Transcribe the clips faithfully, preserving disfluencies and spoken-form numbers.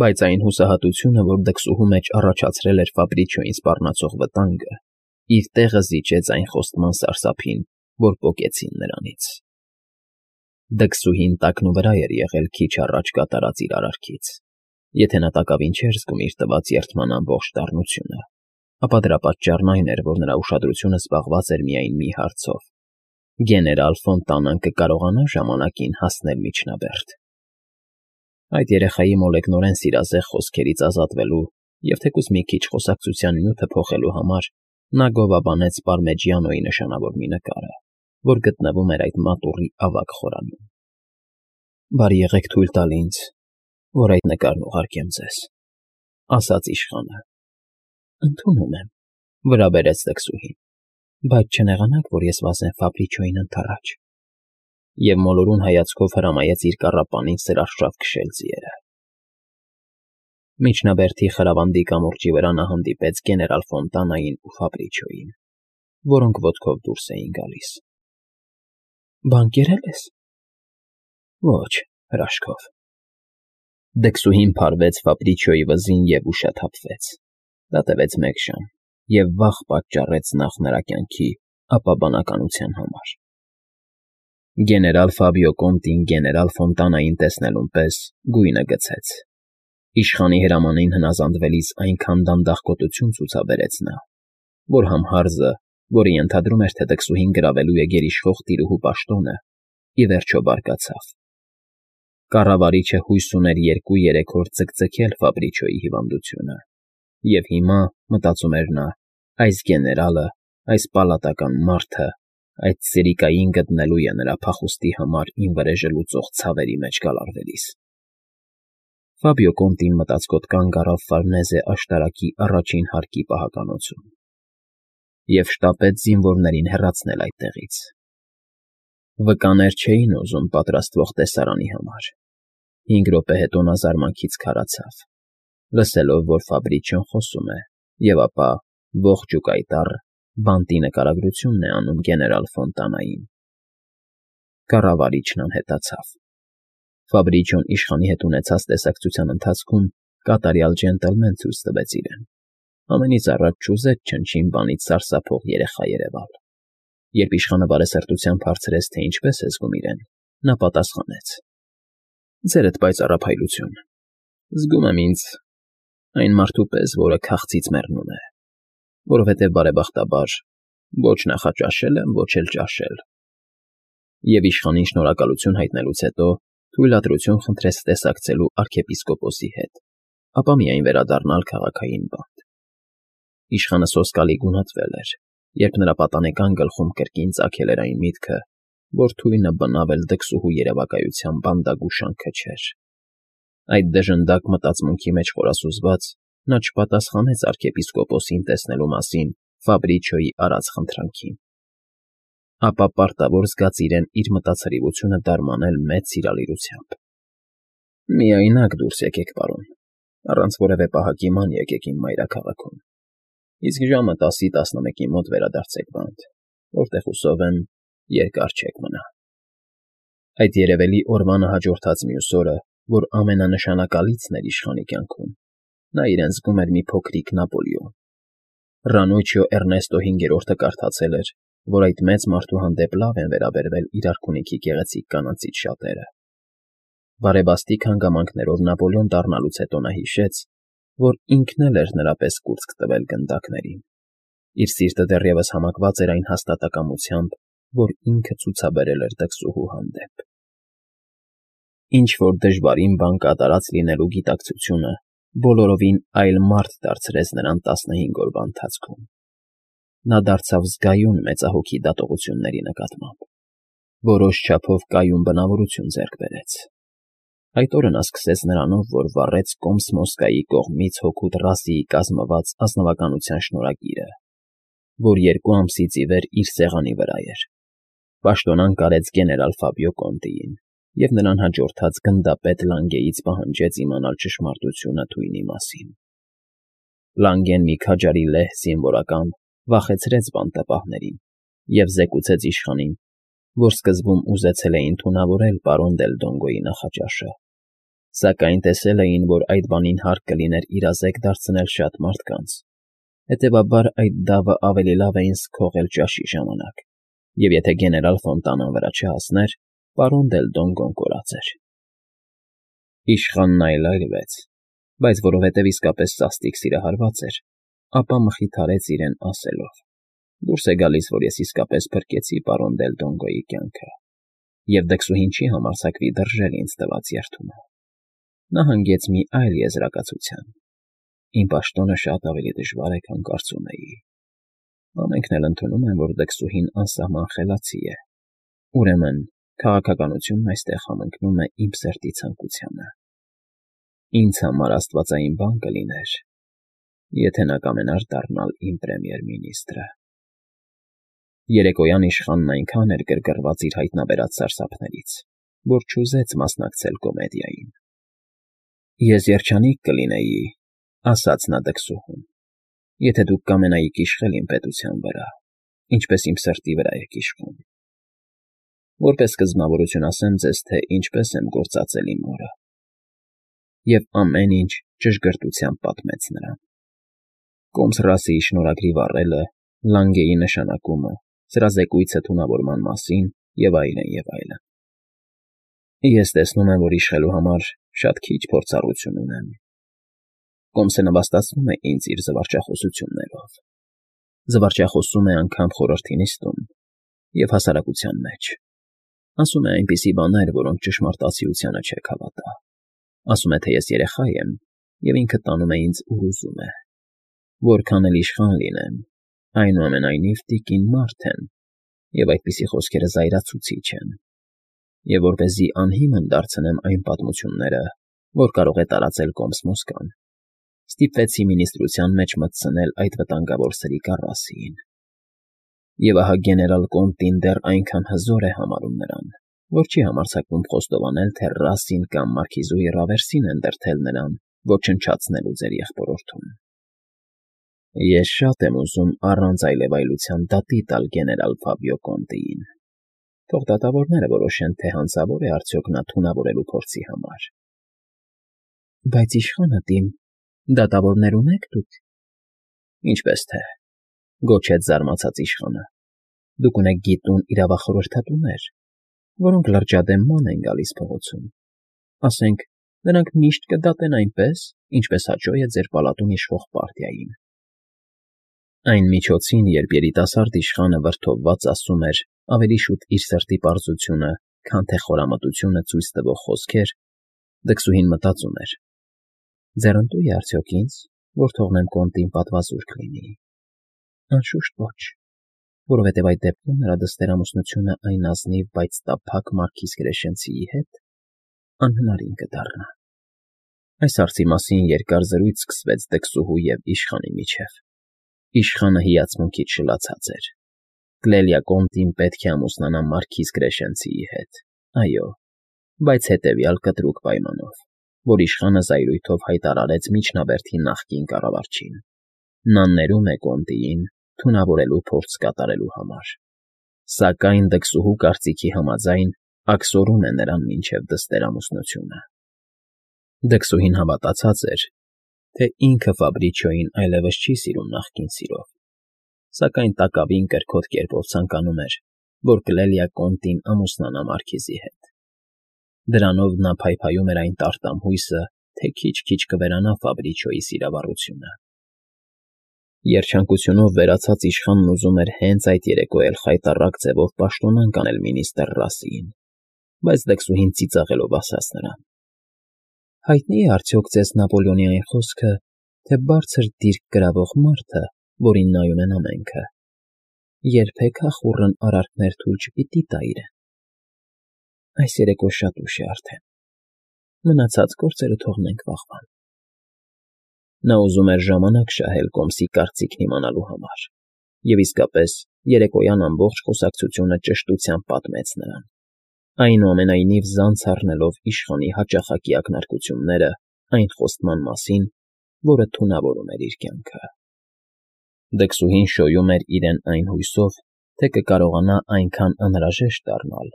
Բայց այն հուսահատությունը, որ դքսուհու մեջ առաջացրել էր Ֆաբրիչոյին սպառնացող վտանգը, իր տեղը զիջեց այն խոստման սարսափին, որ պոկեցին նրանից։ Դքսուհին տակնուվրա էր եղել քիչ առաջ կատարած իր արարքից. եթե նա տակավին չէր զգում իր տված երդման ամբողջ դառնությունը, ապա դրա պատճառն այն էր, որ նրա ուշադրությունը զբաղված էր միայն մի հարցով. գեներալ Ֆոնտանան կկարողանա ժամանակին հասնել Միջնաբերդ։ Այդ երեխայի մոլեգնորեն սիրազեղ խոսքերից ազատվելու և թեկուզ մի քիչ խոսակցության նյութը փոխելու համար նա գովաբանեց Պարմեջիանոյի նշանավոր մի նկարը, որ գտնվում էր այդ մատուռի ավագ խորանում։ «Բարի եղեք թույլ տալ ինձ, որ այդ նկարն ուղարկեմ ձեզ», ֊ ասաց իշխանը։ «Ընդունում եմ», ֊ վրա բերեց դքսուհին, «բայց չնեղանաք, որ ես վազեմ Ֆաբրիչոյին ընդառաջ», և մոլորուն հայացքով հրամայեց իր կառապանին սրարշավ քշել ձիերը։ Միջնաբերդի խրավանդի կամուրջի վրա նա հանդիպեց գեներալ Ֆոնտանային ու Ֆաբրիչոյին, որոնք ոտքով դուրս էին գալիս։ «Բան կերել ես»։ «Ոչ, հրաշքով»։ Դքսուհին փարվեց Ֆաբրիչոյի վզին և ուշաթափվեց։ Դա տևեց մեկ ժամ և վախ պատճառեց նախ նրա կյանքի, ապա բանականության համար։ Գեներալ Ֆաբիո Կոնտին գեներալ Ֆոնտանային տեսնելուն պես գույնը գցեց։ Իշխանի հրամանին հնազանդվելիս այնքան դանդաղ գոտություն ցուցաբերեց նա, որ համհարզը, որը ենթադրում էր, թե դքսուհին գրավելու է գերիշխող տիրուհու պաշտոնը, ի վերջո բարկացավ։ Կառավարիչը հույս ուներ երկու֊երեք օր ձգձգել Ֆաբրիչոյի հիվանդությունը, և հիմա, մտածում էր նա, այս գեներալը, այս պալատական մարդը, այդ սրիկային գտնելու է նրա փախուստի համար ինվրեժը լուծող ցավերի մեջ գալարվելիս։ Ֆաբիո Կոնտին մտածկոտ կանգ առավ Ֆարնեզե աշտարակի առաջին հարկի պահականոցում և շտապեց զինվորներին հեռացնել այդտեղից։ Վկաներ չէին ուզում պատրաստվող տեսարանի համար։ Հինգ րոպե հետո նա զարմանքից քարացավ, լսելով, որ Ֆաբրիչոն խոսում է, և ապա, ողջ ու կայտառ, բանտի նկարագրությունն է անում գեներալ Ֆոնտանային։ Կառավարիչն անհետացավ։ Ֆաբրիչոն իշխանի հետ ունեցած տեսակցության ընթացքում կատարյալ ջենտլմեն ցույց տվեց իրեն։ Ամենից առաջ չուզեց չնչին բանից սարսափող երեխա երևալ։ Երբ իշխանը բարեսրտությամբ հարցրեց, թե ինչպես է զգում իրեն, նա պատասխանեց. «Ձերդ պայծառափայլություն, զգում եմ ինձ այն մարդու պես, որը քաղցից մեռնում է, որովհետև բարեբախտաբար ոչ նախաճաշել եմ, ոչ էլ ճաշել»։ Եվ իշխանին շնորհակալություն հայտնելուց հետո թույլատրություն խնդրեց տեսակցելու արքեպիսկոպոսի հետ, ապա միայն վերադառնալ քաղաքային բանտ։ Իշխանը սոսկալի գունատվել էր, երբ նրա պատանեկան գլխում կրկին ծագել էր այն միտքը, որ թույնը բնավ էլ դքսուհու երևակայության բանդագուշանքը չէր։ Այդ դժնդակ մտածմունքի մեջ խորասուզված նա չպատասխանեց արքեպիսկոպոսին տեսնելու մասին Ֆաբրիչոյի արած խնդրանքին, ապա պարտավոր զգաց իրեն իր մտածրիվությունը դարմանել մեծ սիրալիրությամբ։ «Միայնակ դուրս եկեք, պարոն, առանց որևէ պահակի ման եկեք իմ մայրաքաղաքում, իսկ ժամը տասի տասնմեկի մոտ վերադարձեք բանտ, որտեղ, հուսով եմ, երկար չեք մնա»։ Այդ երևելի օրվանը հաջորդած մյուս օրը, որ ամենանշանակալիցն էր իշխանի կյանքում, նա իրեն զգում էր մի փոքրիկ Նապոլեոն։ Ռանուչիո Էռնեստո հինգերորդը կարդացել էր, որ այդ մեծ մարդու հանդեպ լավ են վերաբերվել իր արքունիքի գեղեցիկ կանանցից շատերը։ Բարեբաստիկ հանգամանքներով Նապոլեոն դառնալուց հետո նա հիշեց, որ ինքն էլ էր նրա պես կուրծք տվել գնդակներին։ Իր սիրտը դեռևս համակված էր այն հաստատակամությամբ, որ ինքը ցուցաբերել էր դքսուհու հանդեպ։ Ինչ֊որ դժվարին բան կատարած լինելու գիտակցությունը բոլորովին այլ մարդ դարձրեց նրան տասնհինգ օրվա ընթացքում։ Նա դարձավ զգայուն մեծահոգի դատողությունների նկատմամբ, որոշ չափով կայուն բնավորություն ձեռք բերեց։ Այդ օրը նա սկսեց նրանով, որ վառեց Կոմս֊Մոսկվայի կողմից հօգուտ Ռասիի կազմված ազնվականության շնորհագիրը, որ երկու ամսից ի վեր իր սեղանի վրա էր, պաշտոնանկ արեց գեներալ Ֆաբիո Կոնտիին և նրան հաջորդած գնդապետ Լանգեից պահանջեց իմանալ ճշմարտությունը թույնի մասին։ Լանգեն մի քաջարի լեհ զինվորական վախեցրեց բանտապահներին և զեկուցեց իշխանին, որ սկզբում ուզեցել էին թունավորել պարոն Դել Դոնգոյի նախաճաշը, Սակայն տեսել էին, որ այդ բանին հարկ կլիներ իրազեկ դարձնել շատ մարդկանց, հետևաբար այդ դավը ավելի լավ էին սքողել ճաշի ժամանակ, և եթե գեներալ Ֆոնտանան վրա չհասներ, պարոն Դելտոն կորած էր։ Իշխանն այլայլվեց, բայց որովհետև իսկապես սաստիկ սիրահարված էր, ապա մխիթարեց իրեն ասելով. «Դուրս է գալիս, որ ես իսկապես փրկեցի պարոն Դելտոնգոյի կյանքը, և դքսուհին չի համարձակվի դրժել ինձ տված երդումը։ Նա հանգեց մի այլ եզրակացության. իմ պաշտոնը շատ ավելի դժվար է, քան կարծում էի։ Ամենքն էլ ընդունում են, որ դքսուհին անսահման խելացի է, ուրեմն քաղաքականությունն այստեղ համընկնում է իմ սրտի ցանկությանը։ Ինձ համար աստվածային բան կլիներ, եթե նա կամենար դառնալ իմ պրեմիեր֊մինիստրը»։ Երեկոյան իշխանն այնքան էր գրգռված իր հայտնաբերած սարսափներից, որ չուզեց մասնակցել կոմեդիային։ «Ես երջանիկ կլինեի,֊ ասաց նա դքսուհուն,֊ եթե դուք կամենայիք իշխել իմ պետության վրա, ինչպես իմ սրտի վրա եք իշխում։ Որպես սկզբնավորություն ասեմ ձեզ, թե ինչպես եմ գործածել իմ օրը»։ Եվ ամեն ինչ ճշգրտությամբ պատմեց նրան. Կոմս֊Ռասիի շնորհագրի վառելը, Լանգեի նշանակումը, սրա զեկույցը թունավորման մասին և այլն, և այլն։ «Ես տեսնում եմ, որ իշխելու համար շատ քիչ փորձառություն ունեմ,֊ Կոմսը նվաստացնում է ինձ իր զվարճախոսություններով, զվարճախոսում է անգամ խորհրդի նիստում և հասարակության մեջ, ասում է այնպիսի բաներ, որոնք ճշմարտացիությանը չեք հավատա, ասում է, թե ես երեխա եմ, և ինքը տանում է ինձ, ուր ուզում է, որքան էլ իշխան լինեմ, այնուամենայնիվ տիկին մարդ եմ, և այդպիսի խոսքերը զայրացուցիչ են, և որպեսզի անհիմն դարձնեմ այն պատմությունները, որ կարող է տարածել Կոմս֊Մոսկվան, ստիպվեցի մինիստրության մեջ մտցնել այդ վտանգավոր սրիկ առ֊Ռասիին։ Եվ ահա գեներալ Կոնտին դեռ այնքան հզոր է համարում նրան, որ չի համարձակվում խոստովանել, թե Ռասին կամ մարքիզուի Ռավերսին են դրդել նրան ոչնչացնելու ձեր եղբորորդուն։ Ես շատ եմ ուզում առանց այլևայլության դատի տալ գեներալ Ֆաբիո Կոնտիին, թող դատավորները որոշեն, թե հանցավոր է արդյոք նա թունավորելու փորձի համար։ Բայց իշխանատին, դատավորներ ունե՞ք դուք։ Ինչպես թե, գոչեց զարմացած իշխանը, դուք ունեք գիտուն իրավախորհրդատուներ, որոնք լրջադեմ ման են գալիս փողոցում, ասենք, նրանք միշտ կդատեն այնպես, ինչպես հաճո է ձեր պալատում իշխող պարտիային։ Այն միջոցին, երբ երիտասարդ իշխանը վրդովված ասում էր ավելի շուտ իր սրտի պարզությունը, քան թե խորամտությունը ցույց տվող խոսքեր, դքսուհին մտածում էր. ձեռնտո՞ւ է արդյոք ինձ, որ թողնեմ Կոնտին պատվազուրկ լինի։ Անշուշտ ոչ, որովհետև այդ դեպքում նրա դստեր֊ամուսնությունը այն ազնիվ, բայց տափակ մարքիզ Կրեշենցիի հետ անհնարին կդառնա։ Այս հարցի մասին երկար զրույց սկսվեց դքսուհու և իշխանի միջև։ Իշխանը հիացմունքից շլացած էր։ Կլելիա Կոնտին պետք է ամուսնանա մարքիզ Կրեշենցիի հետ, այո, բայց հետևյալ կտրուկ պայմանով, որ իշխանը զայրույթով հայտարարեց միջնաբերդի նախկին կառավարչին. նա ներում է Կոնտիին թունավորելու փորձ կատարելու համար, սակայն դքսուհու կարծիքի համաձայն աքսորում է նրան մինչև դստեր֊ամուսնությունը։ Դքսուհին հավատացած էր, թե ինքը Ֆաբրիչիոյին այլևս չի սիրում նախկին սիրով, սակայն տակավին կրքոտ կերպով ցանկանում էր, որ Կլելիա Կոնտին ամուսնանա մարքիզի հետ։ Դրանով նա փայփայում էր այն տարտամ հույսը, թե քիչ֊քիչ կվերանա Ֆաբրիչիոյի սիրավառությունը։ Երջանկությունով վերացած իշխանն ուզում էր հենց այդ երեկո էլ խայտառակ ձևով պաշտոնանկ անել մինիստր Ռասիին, բայց դքսուհին ծիծաղելով ասաց նրան. հայտնի՞ է արդյոք ձեզ Նապոլեոնի այն խոսքը, թե բարձր դիրք կրավող մարդը, որին նայում են ամենքը, երբեք ախուռն արարքներ թույլ չպիտի տա իրեն։ Այս երեկո շատ ուշ է արդեն, մնացած գործերը թողնենք վաղվան։ Նա ուզում էր ժամանակ շահել Կոմսի կարծիքն իմանալու համար, և իսկապես երեկոյան ամբողջ խոսակցությունը ճշտությամբ պատմեց նրան, այնուամենայնիվ զանց առնելով իշխանի հաճախակի ակնարկությունները այն խոստման մասին, որը թունավորում էր իր կյանքը։ Դքսուհին շոյում էր իրեն այն հույսով, թե կկարողանա այնքան անհրաժեշտ դառնալ,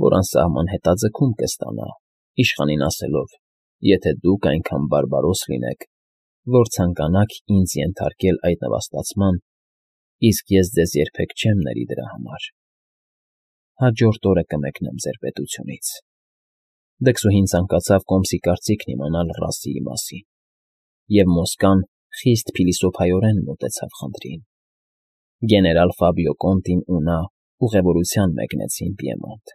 որ անսահման հետաձգում կստանա, իշխանին ասելով, եթե դուք այնքան բարբարոս լինեք, որ ցանկանաք ինձ ենթարկել այդ նվաստացման, իսկ ես ձեզ երբեք չեմ ների դրա համար, հաջորդ օրը կմեկնեմ ձեր պետությունից։ Դքսուհին ցանկացավ կոմսի կարծիքն իմանալ Ռասիի մասին, և Մոսկան խիստ փիլիսոփայորեն մոտեցավ խնդրին։ Գեներալ Ֆաբիո Կոնտին ու նա ուղևորության մեկնեցին Պիեմոնտ։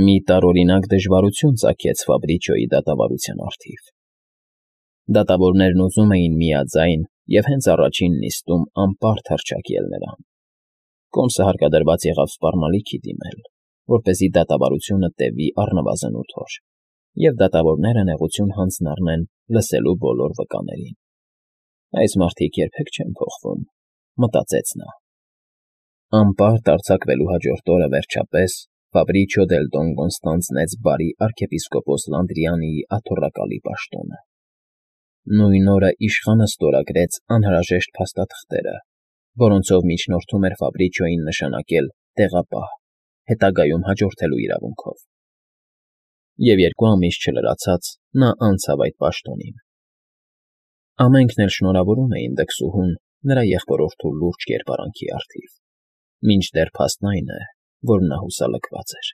Մի տարօրինակ դժվարություն ծագեց Ֆաբրիչոյի դատավարության առթիվ։ Դատավորներն ուզում էին միաձայն և հենց առաջին նիստում անպարտ հռչակել նրան։ Կոմսը հարկադրված եղավ սպառնալիքի դիմել, որպեսզի դատավարությունը տևի առնվազն ութ օր, և դատավորները նեղություն հանձնառնեն լսելու բոլոր վկաներին։ Այս մարդիկ երբեք չեն փոխվում, մտածեց նա։ Անպարտ արձակվելու հաջորդ օրը, վերջապես, Ֆաբրիչո դել Դոնգոն ստանձնեց բարի արքեպիսկոպոս Լանդրիանիի աթոռակալի պաշտոնը։ Նույն օրը իշխանը ստորագրեց անհրաժեշտ փաստաթղթերը, որոնցով միջնորդում էր Ֆաբրիչոյին նշանակել տեղապահ, հետագայում հաջորդելու իրավունքով։ Եվ երկու ամիս չլրացած նա անցավ այդ պաշտոնին։ Ամենքն էլ շնորհավորում էին դքսուհուն նրա եղբորորդու լուրջ կերպարանքի առթիվ, մինչդեռ փաստն այն է, որ նա հուսալքված էր։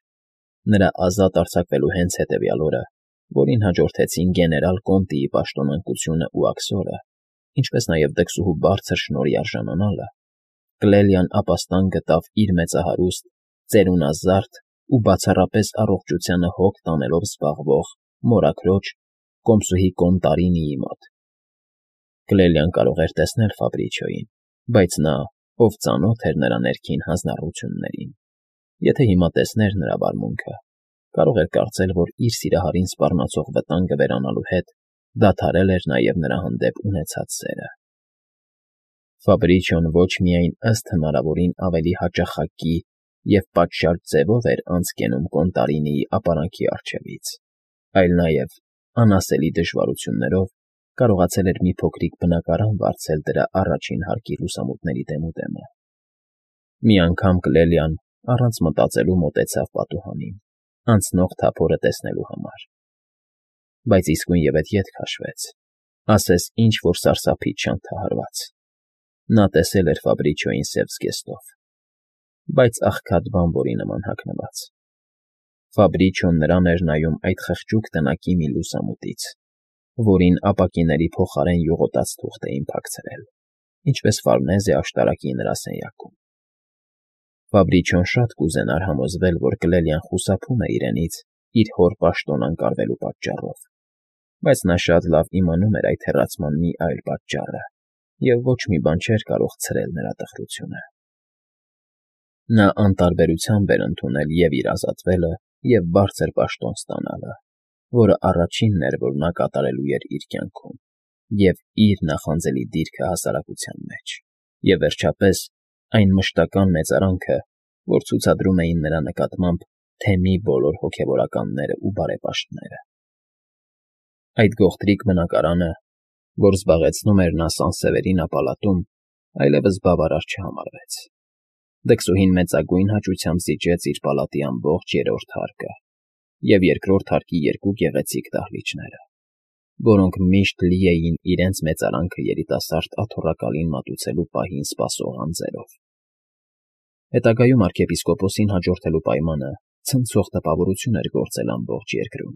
Նրա ազատ արձակվելու հենց հետևյալ օրը, որին հաջորդեցին գեներալ Կոնտիի պաշտոնանկությունն ու աքսորը, ինչպես նաև դքսուհու բարձր շնորհի արժանանալը, Կլելիան ապաստան գտավ իր մեծահարուստ, ծերունազարդ ու բացառապես առողջությանը հոգ տանելով զբաղվող մորաքրոջ կոմսուհի Կոնտարինիի մոտ։ Կլելիան կարող էր տեսնել Ֆաբրիչոյին, բայց նա, ով ծանոթ էր նրա ներքին հանձնառություններին, եթե հիմա տեսներ նրա վարմունքը, կարող էր կարծել, որ իր սիրահարին սպառնացող վտանգը վերանալու հետ դադարել էր նաև նրա հանդեպ ունեցած սերը։ Ֆաբրիչոն ոչ միայն ըստ հնարավորին ավելի հաճախակի և պատշաճ ձևով էր անցկենում Կոնտարինիի ապարանքի առջևից, այլ նաև անասելի դժվարություններով կարողացել էր մի փոքրիկ բնակարան վարձել դրա առաջին հարկի լուսամուտների դեմուդեմը։ Մի անգամ Կլելիան առանց մտածելու մոտեցավ պատուհանին, անցնող թափորը տեսնելու համար։ Բայց իսկույնևեթ ետ քաշվեց, ասես ինչ֊որ սարսափից չանթահարված։ Նա տեսել էր Ֆաբրիչոյին սև զգեստով, բայց աղքատ բանվորի նման հագնված։ Ֆաբրիչոն նրան էր նայում այդ խղճուկ տնակի մի լուսամուտից, որին ապակիների փոխարեն յուղոտած թուղթ էին փակցրել, ինչպես Ֆարնեզե աշտարակի նրա սենյակում։ Ֆաբրիչոն շատ կուզենար համոզվել, որ Կլելիան խուսափում է իրենից իր հոր պաշտոն անկարվելու պատճառով, բայց նա շատ լավ իմանում էր այդ հեռացման մի այլ պատճառը, և ոչ մի բան չէր կարող ցրել նրա տխրությունը։ Նա անտարբերությամբ էր ընդունել և իր ազատվելը, և բարձր պաշտոն ստանալը, որը առաջինն էր, որ նա կատարելու էր իր կյանքում, և իր նախանձելի դիրքը հասարակության մեջ, և, վերջապես, այն մշտական մեծարանքը, որ ցուցադրում էին նրա նկատմամբ թեմի բոլոր հոգևորականները ու բարեպաշտները։ Այդ գողտրիկ բնակարանը, որ զբաղեցնում էր նա Սանսևերինա պալատում, այլևս բավարար չհամարվեց։ Դքսուհին մեծագույն հաճույքով զիջեց իր պալատի ամբողջ երրորդ հարկը և երկրորդ հարկի երկու գեղեցիկ դահլիճները, որոնք միշտ լի էին իրենց մեծարանքը երիտասարդ աթոռակալին մատուցելու պահին սպասող անձերով։ Հետագայում արքեպիսկոպոսին հաջորդելու պայմանը ցնցող տպավորություն էր գործել ամբողջ երկրում։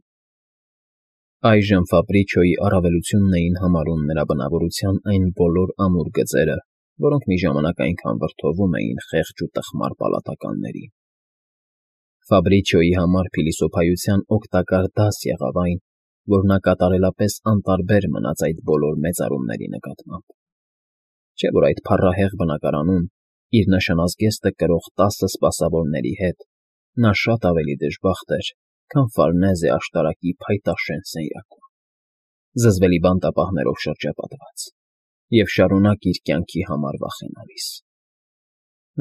Այժմ Ֆաբրիչոյի առավելությունն էին համարում նրա բնավորության այն բոլոր ամուր գծերը, որոնք մի ժամանակ այնքան վրդովում էին խեղճ ու տխմար պալատականներին։ Ֆաբրիչոյի համար փիլիսոփայության օգտակար դաս եղավ այն, որ նա կատարելապես անտարբեր մնաց այդ բոլոր մեծարումների նկատմամբ։ Չէ՞ որ այդ փառահեղ բնակարանում, իր նշանազգեստը կրող տասը սպասավորների հետ, նա շատ ավելի դժբախտ էր, քան Ֆարնեզե աշտարակի փայտաշեն սենյակում, զզվելի բանտապահներով շրջապատված և շարունակ իր կյանքի համար վախենալիս։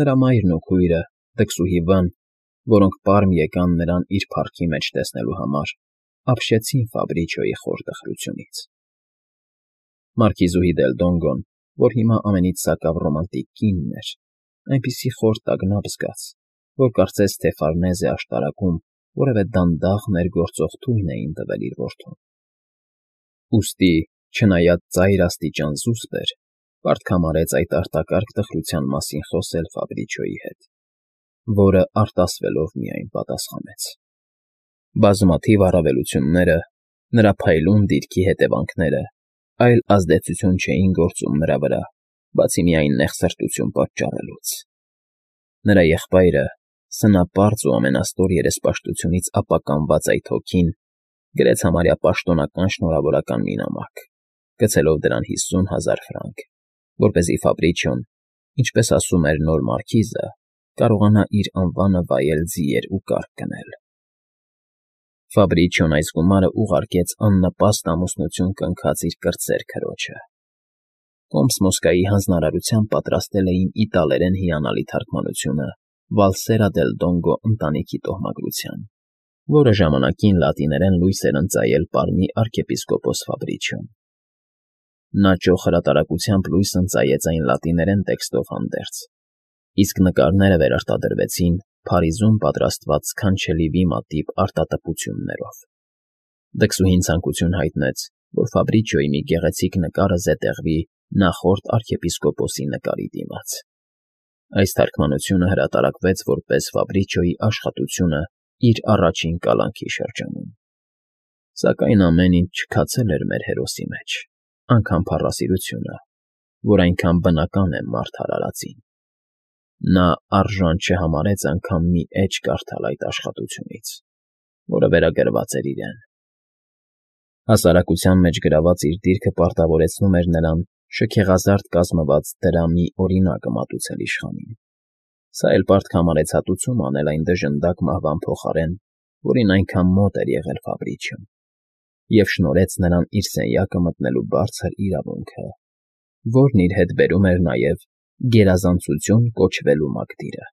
Նրա մայրն ու քույրը, դքսուհի Վն, որոնք պարմ եկան նրան իր փառքի մեջ տեսնելու համար, ապշեցին Ֆաբրիչոյի խոր տխրությունից։ Մարքիզուհի դել Դոնգոն, որ հիմա ամենից սակավ ռոմանտիկ կինն էր, այնպիսի խոր տագնապ զգաց, որ կարծես թե Ֆարնեզե աշտարակում որևէ դանդաղ ներգործող թույն էին տվել իր որդուն։ Ուստի, չնայած ծայր աստիճան զուսպ էր, պարտք համարեց այդ արտակարգ տխրության մասին խոսել Ֆաբրիչոյի հետ, որը արտասվելով միայն պատասխանեց. բազմաթիվ առավելությունները, նրա փայլուն դիրքի հետևանքները այլ ազդեցություն չէին գործում նրա վրա, բացի միայն նեղսրտություն պատճառելուց. նրա եղբայրը, սնապարծ ու ամենաստոր երեսպաշտությունից ապականված այդ հոգին, գրեց համարյա պաշտոնական շնորհավորական մի նամակ, գցելով դրան հիսուն հազար ֆրանկ, որպեսզի Ֆաբրիչոն, ինչպես ասում էր նոր մարքիզը, կարողանա իր անվանը վայել ձիեր ու կառք գնել։ Ֆաբրիչոն այս գումարը ուղարկեց աննպաստ ամուսնություն կնքած իր կրտսեր քրոջը։ Կոմս Մոսկայի հանձնարարությամբ պատրաստել էին իտալերեն հիանալի թարգմանությունը Վալսերա դել Դոնգո ընտանիքի տոհմագրության, որը ժամանակին լատիներեն լույս էր ընծայել պարմի արքեպիսկոպոս Ֆաբրիչոն։ Նա ճոխ հրատարակությամբ լույս ընծայեց այն լատիներեն տեքստով հանդերձ, իսկ նկարները վերարտադրվեցին Փարիզում պատրաստված սքանչելի վիմատիպ արտատպություններով։ Դքսուհին ցանկություն հայտնեց, որ Ֆաբրիչոյի մի գեղեցիկ նկարը զետեղվի նախորդ արքեպիսկոպոսի նկարի դիմաց։ Այս թարգմանությունը հրատարակվեց որպես Ֆաբրիչոյի աշխատությունը իր առաջին կալանքի շրջանում։ Սակայն ամեն ինչ չքացել էր մեր հերոսի մեջ, անգամ փառասիրությունը, որ այնքան բնական է մարդ արարածին։ Նա արժան չհամարեց անգամ մի էջ կարդալ այդ աշխատությունից, որը վերագրված էր իրեն։ Հասարակության մեջ գրաված իր դիրքը պարտավորեցնում էր նրան շքեղազարդ կազմված դրամի օրինակը մատուցել իշխանին։ Սա էլ պարտք համարեց հատուցում անել այն դժնդակ մահվան փոխարեն, որին այնքան մոտ էր եղել Ֆաբրիչոն, և շնորհեց նրան իր սենյակը մտնելու բարձր իրավունքը, որն իր հետ բերում էր նաև գերազանցություն կոչվելու մակդիրը։